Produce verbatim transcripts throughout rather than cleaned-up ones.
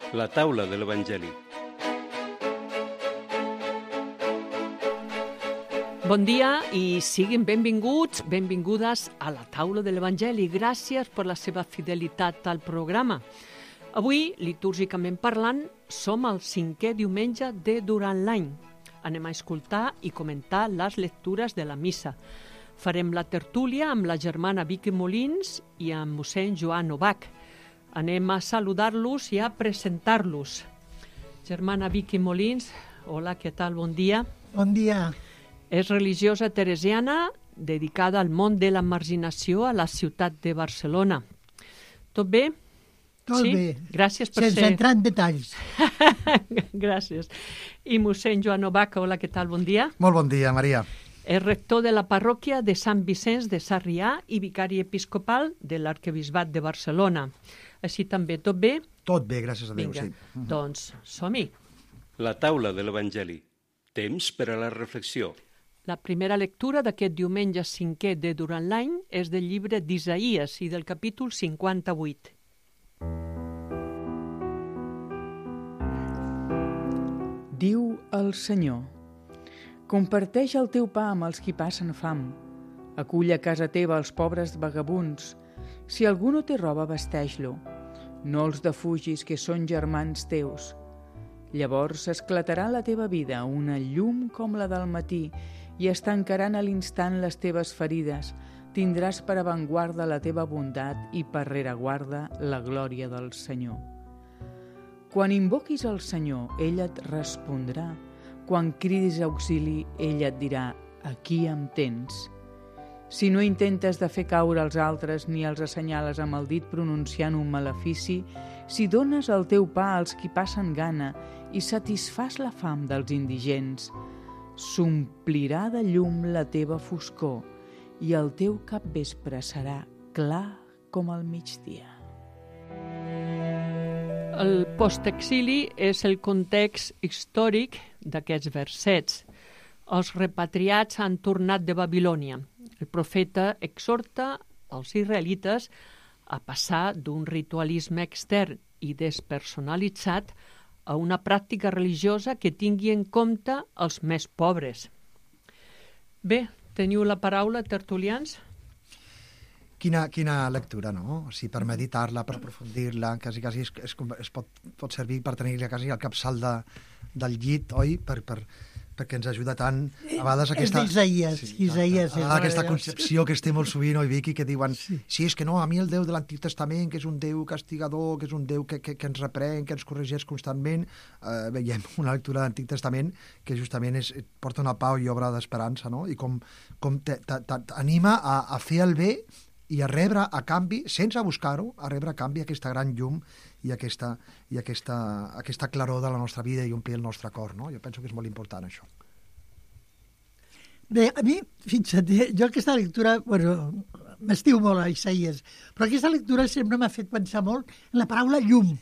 La taula de l'Evangeli. Bon dia i siguin benvinguts, benvingudes a la taula de l'Evangeli. Gràcies per la seva fidelitat al programa. Avui, litúrgicament parlant, som al cinquè diumenge de durant l'any. Anem a escoltar i comentar les lectures de la missa. Farem la tertúlia amb la germana Vicky Molins i amb mossèn Joan Novak. Anem a saludar-los i a presentar-los. Germana Vicky Molins, hola, què tal? Bon dia. Bon dia. És religiosa teresiana dedicada al món de la marginació a la ciutat de Barcelona. Tot bé? Tot sí? bé. Gràcies per Sense ser... entrar en detalls. Gràcies. I mossèn Joan Novak, hola, què tal? Bon dia. Molt bon dia, Maria. És rector de la parròquia de Sant Vicenç de Sarrià i vicari episcopal de l'Arquebisbat de Barcelona. Així també, tot bé? Tot bé, gràcies a Déu, Vinga, sí. doncs som-hi. La taula de l'Evangeli. Temps per a la reflexió. La primera lectura d'aquest diumenge cinquè de durant l'any és del llibre d'Isaïes i del capítol cinquanta-vuit. Diu el Senyor: comparteix el teu pa amb els qui passen fam. Acull a casa teva els pobres vagabunds. Si algú no té roba, vesteix-lo. No els defugis, que són germans teus. Llavors esclatarà la teva vida una llum com la del matí i es tancaran a l'instant les teves ferides. Tindràs per avantguarda la teva bondat i per rereguarda la glòria del Senyor. Quan invoquis el Senyor, ell et respondrà. Quan cridis auxili, ell et dirà: aquí em tens. Si no intentes de fer caure els altres ni els assenyales amb el dit pronunciant un malefici, si dones el teu pa als qui passen gana i satisfàs la fam dels indigents, s'omplirà de llum la teva foscor i el teu capvespre serà clar com el migdia. El postexili és el context històric d'aquests versets. Els repatriats han tornat de Babilònia. El profeta exhorta els israelites a passar d'un ritualisme extern i despersonalitzat a una pràctica religiosa que tingui en compte els més pobres. Bé, teniu la paraula, tertulians? Quina, quina lectura, no? O sigui, per meditar-la, per aprofundir-la, quasi, quasi es, es, es pot, pot servir per tenir-la quasi al capçal de, del llit, oi? Per, per, perquè ens ajuda tant, a vegades aquesta... És d'Isaïes, sí, Isaías. a, a, aquesta concepció que es té molt sovint, oi, Vicky, que diuen, sí. sí, és que no, a mi el Déu de l'Antic Testament, que és un Déu castigador, que és un Déu que, que, que ens reprèn, que ens corregeix constantment, eh, veiem una lectura de l'Antic Testament que justament és, porta una pau i obra d'esperança, no? I com, com t'anima a, a fer el bé i a rebre a canvi, sense buscar-ho, a rebre a canvi aquesta gran llum i aquesta, i aquesta, aquesta claror de la nostra vida i omplir el nostre cor, no? Jo penso que és molt important, això. Bé, a mi, fixa't, jo aquesta lectura, bueno, m'estiu molt a Isaías, però aquesta lectura sempre m'ha fet pensar molt en la paraula llum,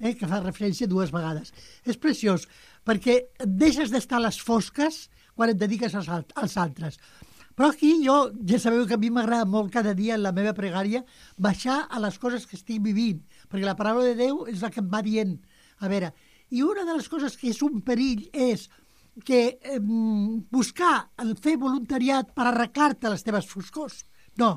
eh, que fa referència dues vegades. És preciós, perquè et deixes d'estar a les fosques quan et dediques als, als altres. Però aquí jo, ja sabeu que a mi m'agrada molt cada dia en la meva pregària baixar a les coses que estic vivint, perquè la paraula de Déu és la que em va dient. A veure, i una de les coses que és un perill és que eh, buscar el fer voluntariat per arreglar-te les teves foscors. No,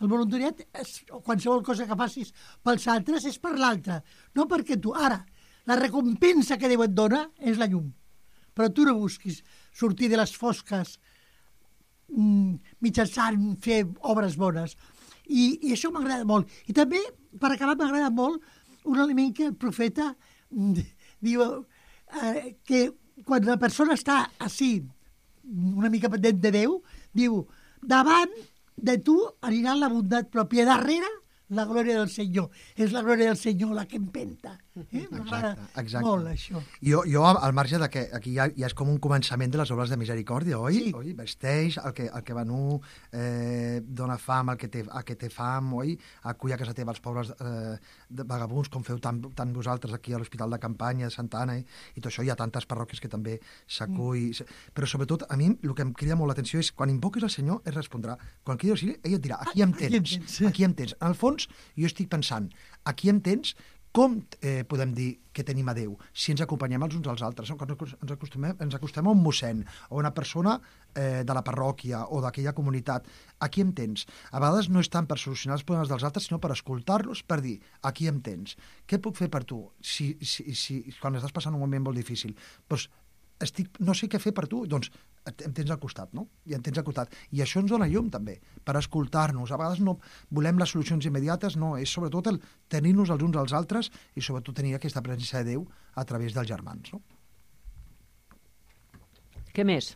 el voluntariat, és, o qualsevol cosa que facis pels altres, és per l'altre, no perquè tu. Ara, la recompensa que Déu et dona és la llum, però tu no busquis sortir de les fosques mitjançant fer obres bones. I, i això m'agrada molt. I també, per acabar, m'agrada molt un element que el profeta diu eh, que quan la persona està així, una mica pendent de Déu, diu, davant de tu anirà la bondat pròpia, darrere la glòria del Senyor. És la glòria del Senyor la que empenta. Eh? M'agrada molt, això. Jo, jo, al marge de que aquí ja, ja és com un començament de les obres de misericòrdia, oi? Sí. Oi? Vesteix el que, el que va nu, eh, dona fam al que, té, al que té fam, oi? Acull a casa teva els pobres eh, vagabuns, com feu tant, tant vosaltres aquí a l'Hospital de Campanya de Santa Anna, eh? I tot això hi ha tantes parròquies que també s'acull. Mm. Però sobretot, a mi, el que em crida molt l'atenció és quan invoques el Senyor, ell respondrà. Quan cridi auxili, ell et dirà, aquí em tens, aquí em tens. En el fons, jo estic pensant, aquí em tens Com eh, podem dir que tenim a Déu? Si ens acompanyem els uns als altres, ens acostumem, ens acostem a un mossèn o una persona eh, de la parròquia o d'aquella comunitat. Aquí em tens. A vegades no és tant per solucionar els problemes dels altres, sinó per escoltar-los, per dir, aquí em tens. Què puc fer per tu si, si, si, quan estàs passant un moment molt difícil? Doncs estic, no sé què fer per tu, doncs em tens al costat, no? I em tens al costat. I això ens dona llum, també, per escoltar-nos. A vegades no volem les solucions immediates, no, és sobretot el tenir-nos els uns als altres i sobretot tenir aquesta presència de Déu a través dels germans, no? Què més?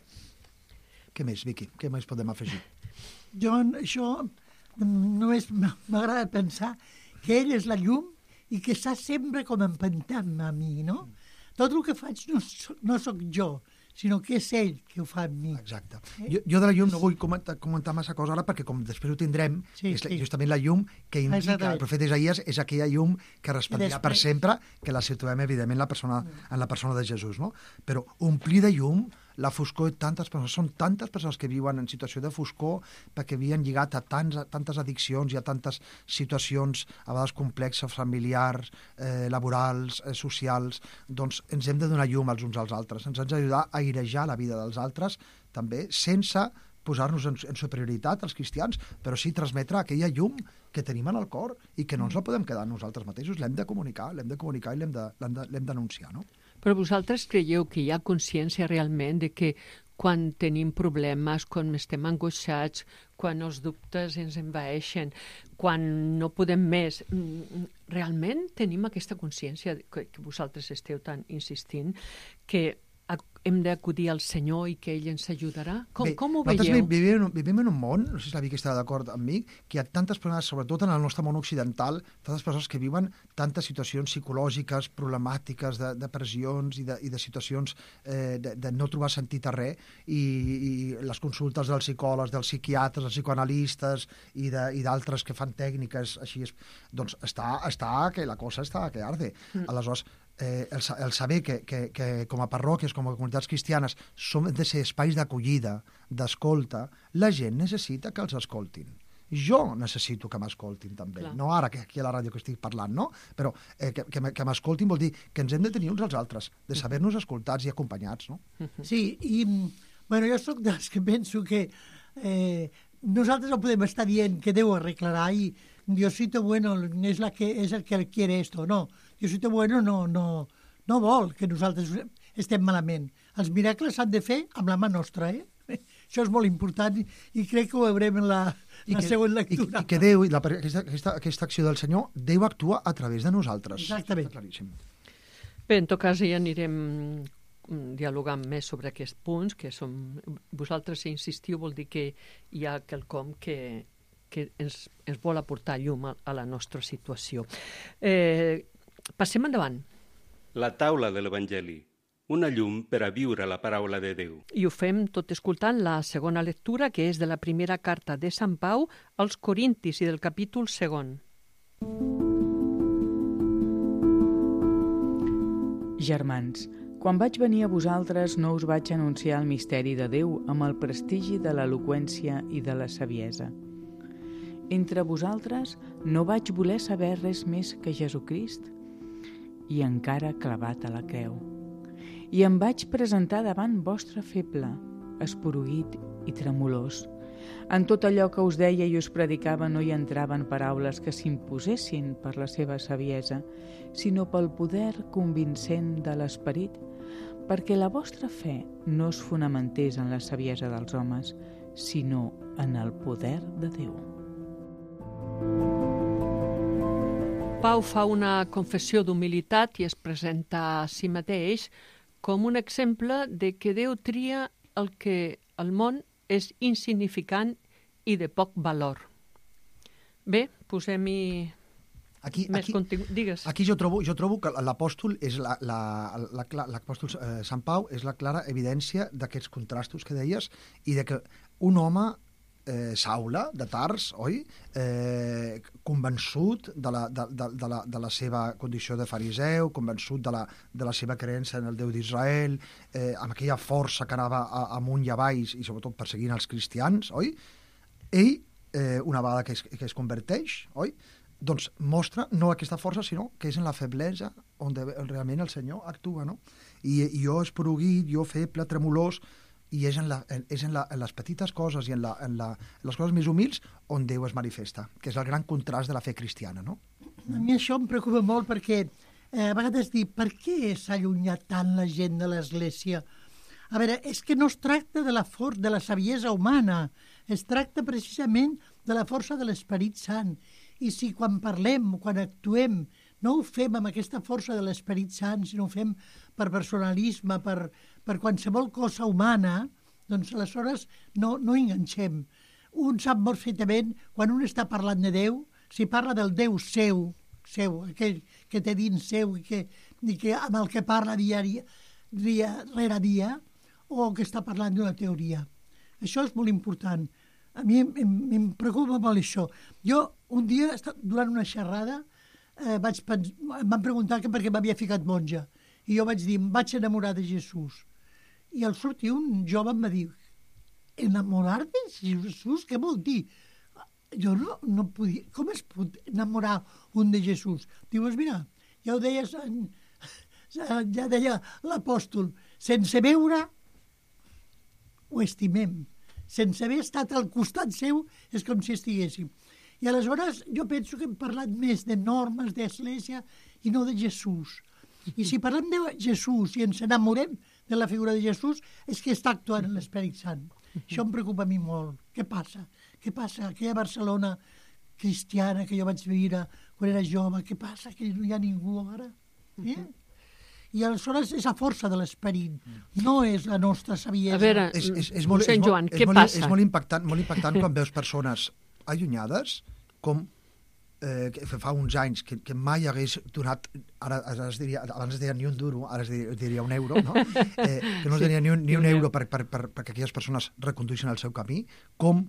Què més, Vicky? Què més podem afegir? Jo, això, només m'agrada pensar que ell és la llum i que està sempre com empentant a mi, no? Tot el que faig no, no sóc jo, sinó que és ell que ho fa amb mi. Exacte. Eh? Jo, jo de la llum no vull comentar, comentar massa cosa ara, perquè com després ho tindrem, sí, és sí. justament la llum que indica Exactament. El profeta Isaías és aquella llum que resplendirà per sempre, que la situem, evidentment, la persona, en la persona de Jesús, no? Però omplir de llum la foscor de tantes persones. Són tantes persones que viuen en situació de foscor perquè havien lligat a, tants, a tantes addiccions i a tantes situacions a vegades complexes, familiars, eh, laborals, eh, socials. Doncs ens hem de donar llum els uns als altres. Ens hem d'ajudar a airejar la vida dels altres també, sense posar-nos en, en superioritat als cristians, però sí transmetre aquella llum que tenim en el cor i que no ens la podem quedar nosaltres mateixos. L'hem de comunicar, l'hem de comunicar i l'hem de, l'hem de, l'hem d'anunciar, no? Però vosaltres creieu que hi ha consciència realment de que quan tenim problemes, quan estem angoixats, quan els dubtes ens envaeixen, quan no podem més, realment tenim aquesta consciència que, que vosaltres esteu tan insistint que hem d'acudir al Senyor i que ell ens ajudarà? Com, Bé, com ho veieu? Nosaltres vivim, vivim en un món, no sé si la Vicky està d'acord amb mi, que hi ha tantes persones, sobretot en el nostre món occidental, tantes persones que viuen tantes situacions psicològiques, problemàtiques, de, de pressions i de, i de situacions eh, de, de no trobar sentit a res, i, i les consultes dels psicòlegs, dels psiquiatres, dels psicoanalistes i d'altres que fan tècniques així, doncs està, està que la cosa està que arde. Mm. Aleshores, Eh, el, el saber que, que, que com a parròquies, com a comunitats cristianes, som de ser espais d'acollida, d'escolta, la gent necessita que els escoltin. Jo necessito que m'escoltin també, Clar. No ara que aquí a la ràdio que estic parlant, no? Però eh, que, que, que m'escoltin vol dir que ens hem de tenir uns als altres, de saber-nos escoltats i acompanyats, no? Sí, i bueno, jo sóc dels que penso que eh, nosaltres no podem estar dient que Déu arreglarà i Diosito bueno és, la que, és el que quiere esto, no. Diosito bueno no, no, no vol que nosaltres estem malament. Els miracles s'han de fer amb la mà nostra, eh? Això és molt important i, i crec que ho veurem en la, la que, següent lectura. I, i que Déu, la, aquesta, aquesta, aquesta acció del Senyor, Déu actua a través de nosaltres. Exactament. Està claríssim. Bé, en tot cas ja anirem dialogant més sobre aquests punts, que som, vosaltres insistiu vol dir que hi ha quelcom que, que ens, ens vol aportar llum a, a la nostra situació. Eh, passem endavant. La taula de l'Evangeli, una llum per a viure la paraula de Déu. I ho fem tot escoltant la segona lectura, que és de la primera carta de Sant Pau als Corintis i del capítol segon. Germans, quan vaig venir a vosaltres no us vaig anunciar el misteri de Déu amb el prestigi de l'eloqüència i de la saviesa. Entre vosaltres no vaig voler saber res més que Jesucrist i encara clavat a la creu. I em vaig presentar davant vostre feble, esporuguit i tremolós. En tot allò que us deia i us predicava no hi entraven paraules que s'imposessin per la seva saviesa, sinó pel poder convincent de l'esperit, perquè la vostra fe no es fonamentés en la saviesa dels homes, sinó en el poder de Déu. Pau fa una confessió d'humilitat i es presenta a si mateix com un exemple de que Déu tria el que al món és insignificant i de poc valor. Bé, posem-hi aquí, més aquí, contingut. Digues. Aquí jo trobo, jo trobo que l'apòstol és la, la, la, la, l'apòstol eh, Sant Pau és la clara evidència d'aquests contrastos que deies i de que un home Eh, Saula, de Tars, oi? Eh, convençut de la, de, de, de, la, de la seva condició de fariseu, convençut de la, de la seva creença en el Déu d'Israel, eh, amb aquella força que anava a, amunt i avall i sobretot perseguint els cristians, oi? Ell, eh, una vegada que es, que es converteix, oi? doncs mostra no aquesta força, sinó que és en la feblesa on de, realment el Senyor actua, no? I, i jo esporuguit, jo feble, tremolós, i és en, la, és en, la, en les petites coses i en, la, en, la, en les coses més humils on Déu es manifesta, que és el gran contrast de la fe cristiana, no? A mi això em preocupa molt perquè eh, a vegades dic, per què s'ha allunyat tant la gent de l'Església? A veure, és que no es tracta de la, for de la saviesa humana, es tracta precisament de la força de l'Esperit Sant. I si quan parlem, quan actuem, no ho fem amb aquesta força de l'Esperit Sant, sinó ho fem per personalisme, per, per qualsevol cosa humana, doncs aleshores no, no enganxem. Un sap molt fetament, quan un està parlant de Déu, si parla del Déu seu, seu, aquell que té dins seu i que, i que amb el que parla diari, dia rere dia, o que està parlant d'una teoria. Això és molt important. A mi em, em, em preocupa molt això. Jo, un dia, durant una xerrada, eh, vaig pens... em van preguntar que per què m'havia ficat monja. I jo vaig dir, em vaig enamorar de Jesús. I al sortir un jove em va dir, enamorar de Jesús? Què vol dir? Jo no, no podia... Com es pot enamorar un de Jesús? Dius, mira, ja ho deies, en... ja deia l'apòstol, sense veure ho estimem. Sense haver estat al costat seu és com si estiguéssim. I aleshores jo penso que hem parlat més de normes d'Església i no de Jesús. I si parlem de Jesús i ens enamorem de la figura de Jesús és que està actuant l'Esperit Sant. Això em preocupa a mi molt. Què passa? Què passa? Aquella Barcelona cristiana que jo vaig viure quan era jove, què passa? Que no hi ha ningú ara? Eh? I aleshores és la força de l'esperit, no és la nostra saviesa. A veure, és, és, és molt, mossèn és molt, Joan, és què molt, passa? És molt impactant, molt impactant quan veus persones allunyades, com eh, que fa uns anys que, que mai hagués donat, ara, ara es diria, abans es deia ni un duro, ara es diria, es diria un euro, no? eh, que no es diria ni un, ni un euro per, per, per, perquè aquelles persones recondueixen el seu camí, com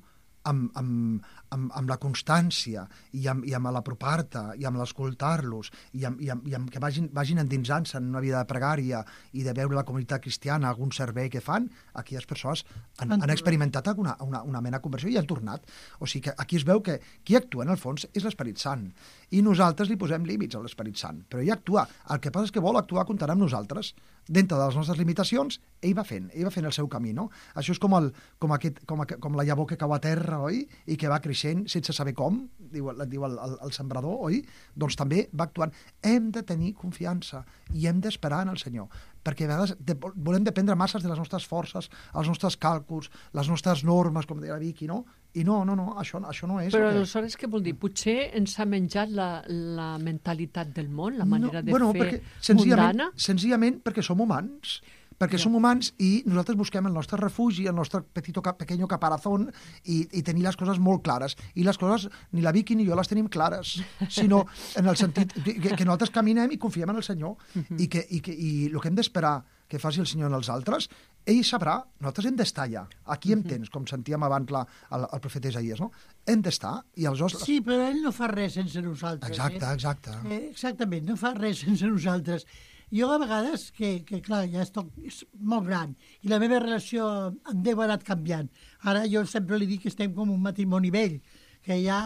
amb, amb, amb, amb la constància i amb, i amb l'apropar-te i amb l'escoltar-los i, amb, i, amb, i amb que vagin, vagin endinsant-se en una vida de pregària i de veure la comunitat cristiana, algun servei que fan, aquelles persones han, han experimentat alguna, una, una mena de conversió i han tornat. O sigui que aquí es veu que qui actua en el fons és l'Esperit Sant i nosaltres li posem límits a l'Esperit Sant, però ell actua. El que passa és que vol actuar comptant amb nosaltres. Dintre de les nostres limitacions, ell va fent, ell va fent el seu camí, no? Això és com, el, com, aquest, com, com la llavor que cau a terra, oi? I que va creixent sense saber com, diu, diu el, el, el sembrador, oi? Doncs també va actuant. Hem de tenir confiança i hem d'esperar en el Senyor, perquè a vegades de, volem dependre masses de les nostres forces, els nostres càlculs, les nostres normes, com deia la Vicky, no? I no, no, no, això, això no és... Però que... aleshores què vol dir? Potser ens ha menjat la, la mentalitat del món, la manera no, de bueno, fer perquè, senzillament, mundana? Senzillament perquè som humans, perquè ja. som humans i nosaltres busquem el nostre refugi, el nostre petito, pequeño caparazón i, i tenir les coses molt clares. I les coses, ni la Vicky ni jo les tenim clares, sinó en el sentit que, que nosaltres caminem i confiem en el Senyor uh-huh. i, que, i, que, i el que hem d'esperar que faci el Senyor en els altres, ell sabrà, nosaltres hem d'estar allà. Aquí em tens, com sentíem abans la, el, el profeta Isaías, no? Hem d'estar i aleshores... Sí, però ell no fa res sense nosaltres. Exacte, eh? exacte. Eh, exactament, no fa res sense nosaltres. Jo a vegades, que, que clar, ja estic és molt gran, i la meva relació amb Déu ha anat canviant. Ara jo sempre li dic que estem com un matrimoni vell, que ja...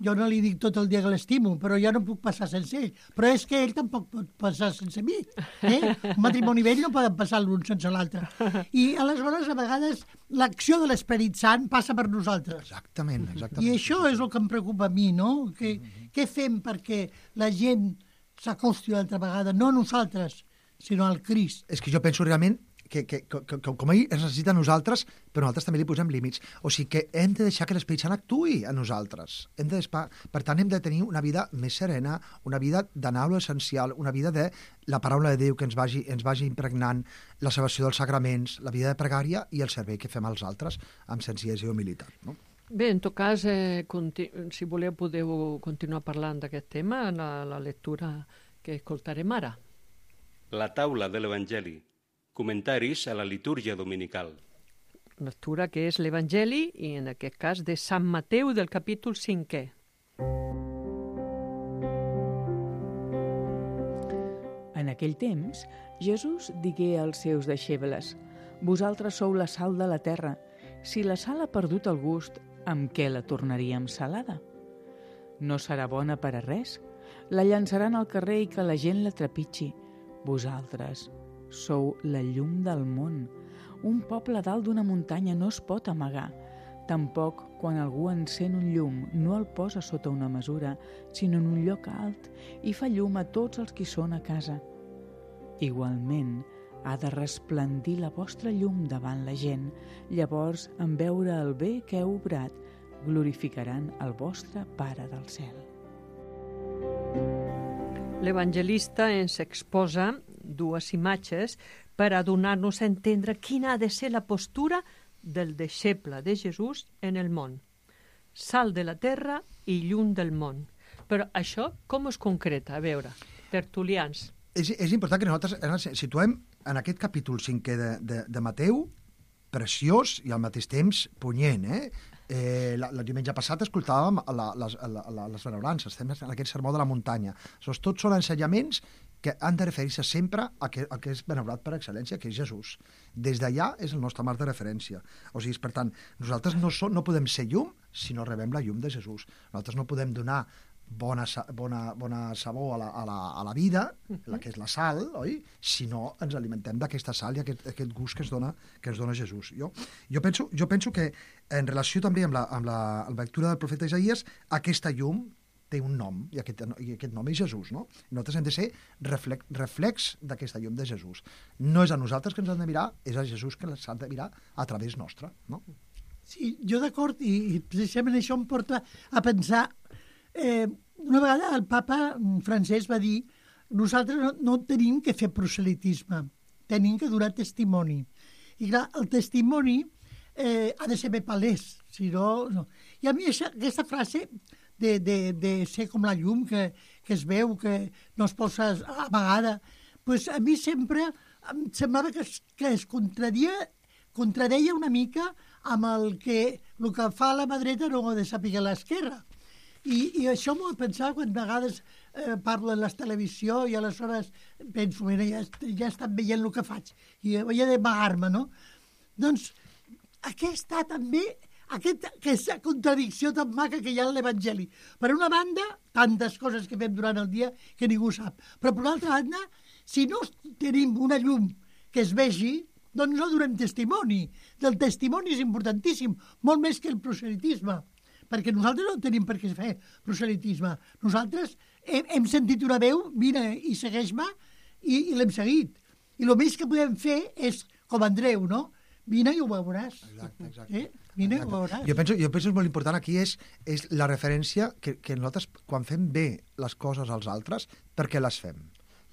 Jo no li dic tot el dia que l'estimo, però jo no puc passar sense ell. Però és que ell tampoc pot passar sense mi. Eh? Un matrimoni vell no poden passar l'un sense l'altre. I aleshores, a vegades, l'acció de l'Esperit Sant passa per nosaltres. Exactament, exactament. I això és el que em preocupa a mi, no? Que, què fem perquè la gent s'acosti una altra vegada? No a nosaltres, sinó al Crist. És que jo penso realment que, que, que, que com ell ens necessita a nosaltres, però nosaltres també li posem límits. O sigui que hem de deixar que l'Esperit Sant actuï a nosaltres. Hem de, per tant, hem de tenir una vida més serena, una vida d'anar a l'essencial, una vida de la paraula de Déu que ens vagi, ens vagi impregnant, la celebració dels sagraments, la vida de pregària i el servei que fem als altres amb senzillesa i humilitat. No? Bé, en tot cas, eh, si voleu podeu continuar parlant d'aquest tema en la, la lectura que escoltarem ara. La taula de l'Evangeli. Comentaris a la litúrgia dominical. Lectura que és l'Evangeli, i en aquest cas de Sant Mateu del capítol cinquè. En aquell temps, Jesús digué als seus deixebles: «Vosaltres sou la sal de la terra. Si la sal ha perdut el gust, amb què la tornaríem salada? No serà bona per a res. La llançaran al carrer i que la gent la trepitgi. Vosaltres sou la llum del món. Un poble dalt d'una muntanya no es pot amagar. Tampoc, quan algú encén un llum, no el posa sota una mesura, sinó en un lloc alt i fa llum a tots els qui són a casa. Igualment, ha de resplendir la vostra llum davant la gent. Llavors, en veure el bé que heu obrat, glorificaran el vostre Pare del cel. L'evangelista ens exposa dues imatges per a donar-nos a entendre quina ha de ser la postura del deixeble de Jesús en el món. Sal de la terra i llum del món. Però això com es concreta? A veure, tertulians. És, és important que nosaltres ens situem en aquest capítol cinquè de, de, de Mateu, preciós i al mateix temps punyent, eh? Eh, la, el diumenge passat escoltàvem la, les, la, la, les benaurances, estem en aquest sermó de la muntanya. Això, tots són ensenyaments que han de referir-se sempre a que, a que és benaurat per excel·lència, que és Jesús. Des d'allà és el nostre marc de referència. O sigui, per tant, nosaltres no, som, no podem ser llum si no rebem la llum de Jesús. Nosaltres no podem donar bona, bona, bona sabor a la, a, la, a la vida, la que és la sal, oi? Si no ens alimentem d'aquesta sal i aquest, aquest gust que ens dona, que ens dona Jesús. Jo, jo, penso, jo penso que en relació també amb la, amb la, amb la lectura del profeta Isaías, aquesta llum té un nom, i aquest, i aquest nom és Jesús, no? Nosaltres hem de ser reflex, reflex d'aquesta llum de Jesús. No és a nosaltres que ens han de mirar, és a Jesús que ens han de mirar a través nostre, no? Sí, jo d'acord, i, i precisament això em porta a pensar... Eh, una vegada el papa francès va dir nosaltres no, no tenim que fer proselitisme, tenim que donar testimoni. I clar, el testimoni eh, ha de ser bé palès, si no, no. I a mi això, aquesta frase de, de, de ser com la llum que, que es veu, que no es posa amagada, pues a mi sempre em semblava que es, que es contradia, contradeia una mica amb el que el que fa la mà dreta no ho ha de saber l'esquerra. I, i això m'ho he pensat quan a vegades eh, parlo en la televisió i aleshores penso, mira, ja, ja estan veient el que faig i he d'amagar-me, no? Doncs aquesta també, aquest, aquesta contradicció tan maca que hi ha en l'Evangeli. Per una banda, tantes coses que fem durant el dia que ningú sap. Però per una altra banda, si no tenim una llum que es vegi, doncs no donem testimoni. El testimoni és importantíssim, molt més que el proselitisme. Perquè nosaltres no tenim per què fer proselitisme. Nosaltres hem, hem sentit una veu, vine i segueix-me, i, i l'hem seguit. I el més que podem fer és, com Andreu, no? Vine i ho veuràs. Exacte, exacte. Eh? Vine exacte. i ho veuràs. Jo penso, jo penso que és molt important aquí és, és la referència que, que nosaltres, quan fem bé les coses als altres, per què les fem?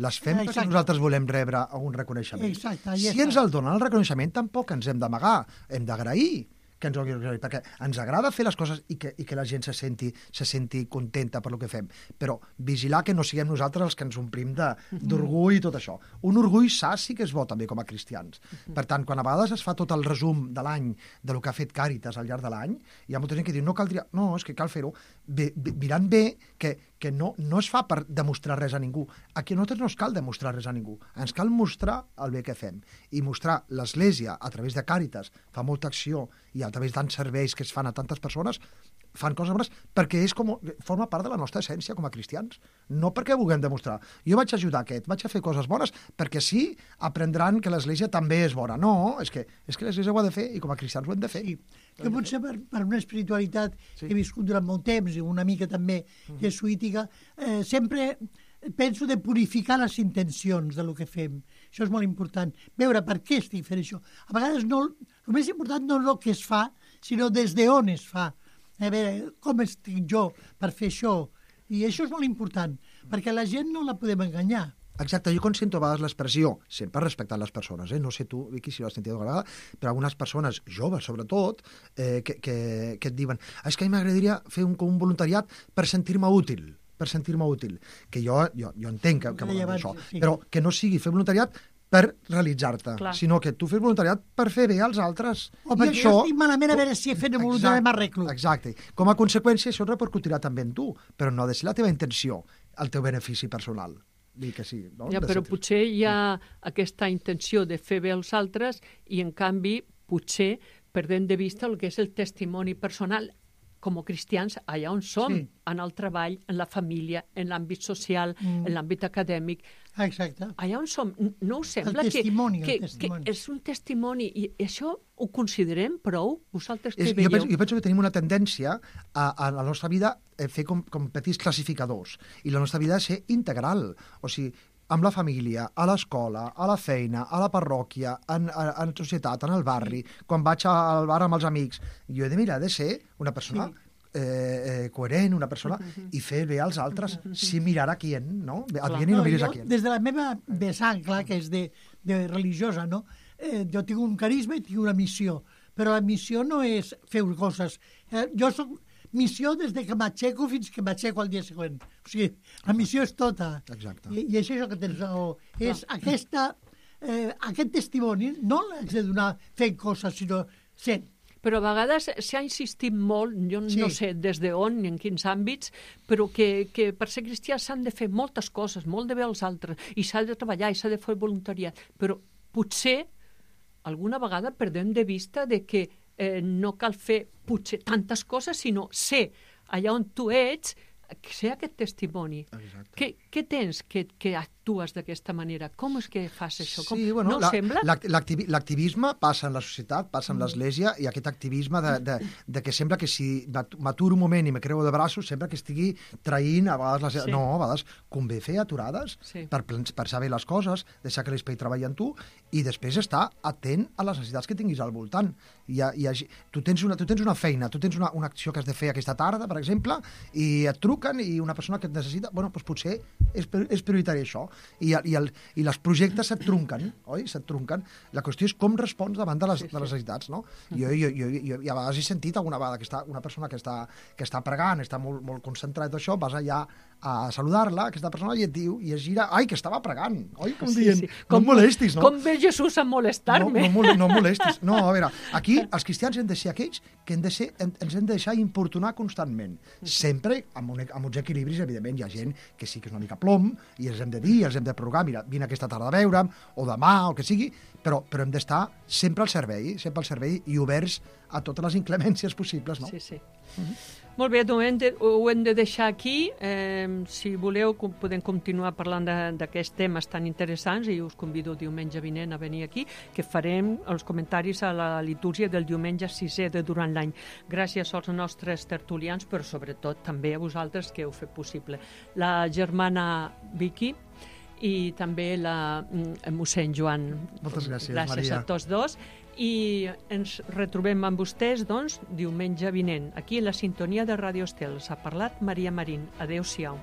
Les fem Exacte. perquè nosaltres volem rebre un reconeixement. Exacte, si està. ens el donen el reconeixement, tampoc ens hem d'amagar, hem d'agrair que ens ho agraï, perquè ens agrada fer les coses i que, i que la gent se senti, se senti contenta per el que fem, però vigilar que no siguem nosaltres els que ens omplim d'orgull i tot això. Un orgull sa sí que és bo també com a cristians. Per tant, quan a vegades es fa tot el resum de l'any de lo que ha fet Càritas al llarg de l'any, hi ha molta gent que diu, no caldria, no, és que cal fer-ho, mirant bé que, que no, no es fa per demostrar res a ningú. Aquí a nosaltres no es cal demostrar res a ningú, ens cal mostrar el bé que fem i mostrar l'Església a través de Càritas, fa molta acció i a través tants serveis que es fan a tantes persones, fan coses bones perquè és com, forma part de la nostra essència com a cristians, no perquè vulguem demostrar. Jo vaig ajudar aquest, vaig a fer coses bones perquè sí, aprendran que l'Església també és bona. No, és que, és que l'Església ho ha de fer i com a cristians ho hem de fer. Sí. Que potser per, per una espiritualitat Sí. que he viscut durant molt temps i una mica també jesuítica, eh, sempre penso de purificar les intencions de lo que fem. Això és molt important. Veure per què estic fent això. A vegades no, el més important no és el que es fa, sinó des d'on es fa. A veure, com estic jo per fer això? I això és molt important, perquè la gent no la podem enganyar. Exacte, jo quan sento a vegades l'expressió, sempre respectant les persones, eh? No sé tu, Vicky, si l'has sentit alguna vegada, però algunes persones, joves sobretot, eh, que, que, que et diuen és que a mi m'agradaria fer un, un voluntariat per sentir-me útil, per sentir-me útil, que jo, jo, jo entenc que, que Deia vol dir abans, això, sí. però que no sigui fer voluntariat per realitzar-te, Clar. sinó que tu fes voluntariat per fer bé als altres. O I perquè això, jo estic malament a veure si he fet el voluntari m'arreglo. Exacte. Com a conseqüència, això repercutirà també en tu, però no ha de ser la teva intenció, el teu benefici personal. Dir que sí, no? Ja, De però ser- potser hi ha aquesta intenció de fer bé als altres i, en canvi, potser perdem de vista el que és el testimoni personal com a cristians, allà on som, Sí. en el treball, en la família, en l'àmbit social, Mm. en l'àmbit acadèmic, Ah, exacte. allà on som, n- no us sembla El testimoni, que, el que, testimoni. que és un testimoni i això ho considerem prou? Vosaltres què És, jo, veieu? penso, jo penso que tenim una tendència a, a la nostra vida a fer com, com petits classificadors i la nostra vida ha de ser integral, o sigui, amb la família, a l'escola, a la feina, a la parròquia, en, en, en societat, en el barri, quan vaig al bar amb els amics, jo he de mirar de ser una persona Sí. eh, eh, coherent, una persona, i fer bé als altres, sin mirar a qui, no? A Clar. qui i no mires jo, a qui. des de la meva vessant, clar, que és de, de religiosa, no? Eh, jo tinc un carisma i tinc una missió, però la missió no és fer coses. Eh, jo soc missió des de que m'aixeco fins que m'aixeco al dia següent. O sigui, la missió és tota. Exacte. I, i és això que tens raó. És aquesta, eh, aquest testimoni, no l'haig de donar fent coses, sinó sent. Però a vegades s'ha insistit molt, jo Sí. no sé des d'on ni en quins àmbits, però que, que per ser cristià s'han de fer moltes coses, molt de bé als altres, i s'ha de treballar i s'ha de fer voluntariat. Però potser alguna vegada perdem de vista de que eh, no cal fer potser tantes coses, sinó ser allà on tu ets, ser aquest testimoni. Exacte. Què, què tens que, que actues d'aquesta manera? Com és que fas això? Com, Sí, bueno, no la- sembla? l'ac- l'activi- l'activisme passa en la societat, passa en l'Església, i aquest activisme de, de, de que sembla que si m'at- m'aturo un moment i me creu de braços, sembla que estigui traint a vegades... Les... Sí. No, a vegades convé fer aturades Sí. per pens- pensar bé les coses, deixar que l'espai treballi en tu, i després estar atent a les necessitats que tinguis al voltant. Hi ha, hi ha, tu, tens una, tu tens una feina, tu tens una, una acció que has de fer aquesta tarda, per exemple, i et truquen, i una persona que et necessita, bueno, doncs potser és, pri- és prioritari això. I, i, el, i els projectes se't trunquen, oi? Se't trunquen. La qüestió és com respons davant de les, Sí, sí. de les necessitats, no? Jo, jo, jo, jo, jo a vegades he sentit alguna vegada que està, una persona que està, que està pregant, està molt, molt concentrada en això, vas allà a saludar-la, aquesta persona, i et diu, i es gira, ai, que estava pregant, oi? Com Sí, dient, sí. no em molestis, no? Com ve Jesús a molestar-me? No, no, mole- no molestis. No, a veure, aquí els cristians hem de ser aquells que hem de ser, hem, ens hem de deixar importunar constantment. Sempre amb, un, amb uns equilibris, evidentment. Hi ha gent que sí que és una mica plom, i els hem de dir, els hem de provocar, mira, vine aquesta tarda a veure'm, o demà, o el que sigui, però, però hem d'estar sempre al servei, sempre al servei i oberts a totes les inclemències possibles, no? Sí, sí. Molt bé, doncs hem de, ho hem de deixar aquí. Eh, si voleu, com- podem continuar parlant de- d'aquests temes tan interessants, i us convido diumenge vinent a venir aquí, que farem els comentaris a la litúrgia del diumenge sisè de durant l'any. Gràcies als nostres tertulians, però sobretot també a vosaltres que heu fet possible. La germana Vicky i també la mm, mossèn Joan. Moltes gràcies, Gràcies Maria. a tots dos. I ens retrobem amb vostès, doncs, diumenge vinent, aquí a la sintonia de Ràdio Estel. S'ha parlat Maria Marín. Adéu-siau.